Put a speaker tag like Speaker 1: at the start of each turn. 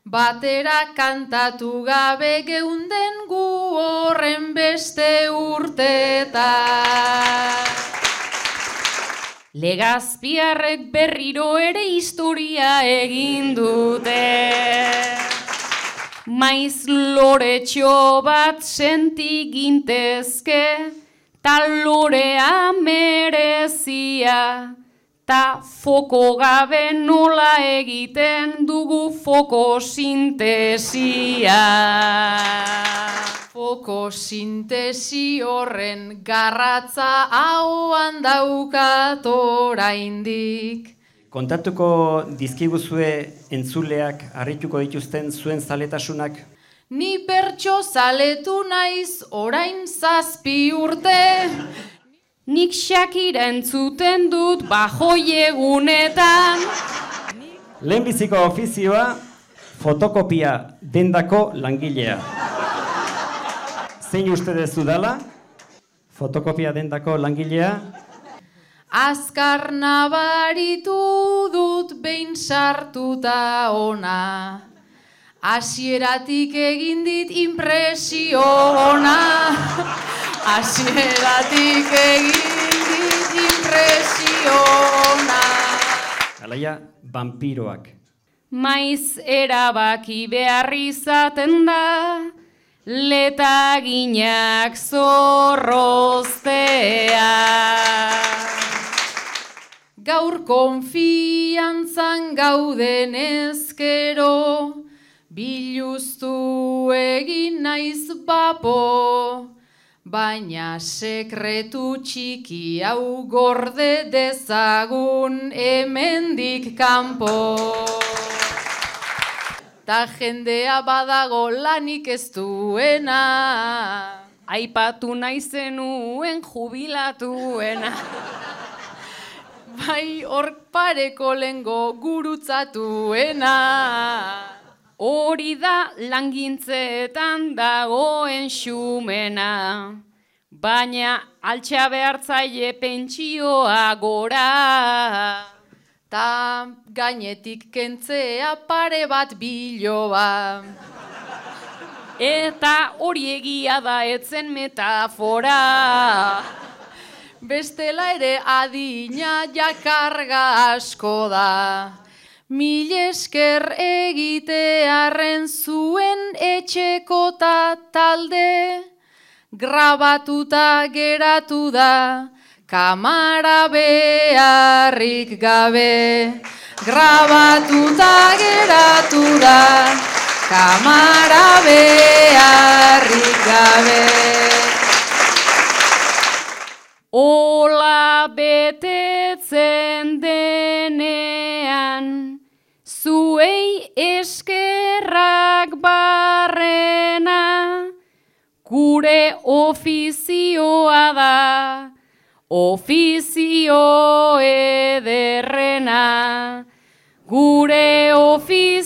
Speaker 1: batera kantatu gabe geunden gu horren beste urteetan. Legazpiarrek berriro ere historia egin dute. Maiz loretxo bat senti gintezke, ta lorea merezia, ta foko gabe nola egiten dugu fokosintesia. Fokosintesi horren garratza ahoan daukat oraindik.
Speaker 2: Kontatuko dizkiguzue entzuleak harrituko dituzten zuen zaletasunak?
Speaker 1: Ni bertso zaletu naiz orain 7 urte. Nik Shakira entzuten dut bajoi egunetan.
Speaker 2: Lehenbiziko ofizioa, fotokopia dendako langilea. Zein uste dezu dala? Fotokopia dendako langilea?
Speaker 1: Azkar nabaritu dut behin sartuta ona. Hasieratik egin dit impresio ona. Hasieratik egin dit impresio ona.
Speaker 2: Alaia, vampiroak.
Speaker 1: Maiz erabaki behar izaten da, letaginak zorroztea. Gaur konfiantzan gauden ezkero, biluztu egin naiz bapo, baina sekretu txiki hau gorde dezagun hemendik kanpo. Ta jendea badago lanik ez duena, aipatu nahi zenuen jubilatuena. Bai hor pareko lengo gurutzatuena. Hori da langintzeetan dagoen xumena, baina altxa behartzaile pentsioa gora. Ta gainetik kentzea pare bat biloba. Eta hori egia da etzen metafora. Bestela ere adina jakarga asko da. Mil esker egitearren zuen etxekota talde, grabatuta geratu da, kamara beharrik gabe. Grabatuta geratu da, kamara beharrik gabe. Ola betetzen denean, zuei eskerrak barrena, gure ofizioa da, ofizio ederrena, gure ofizioa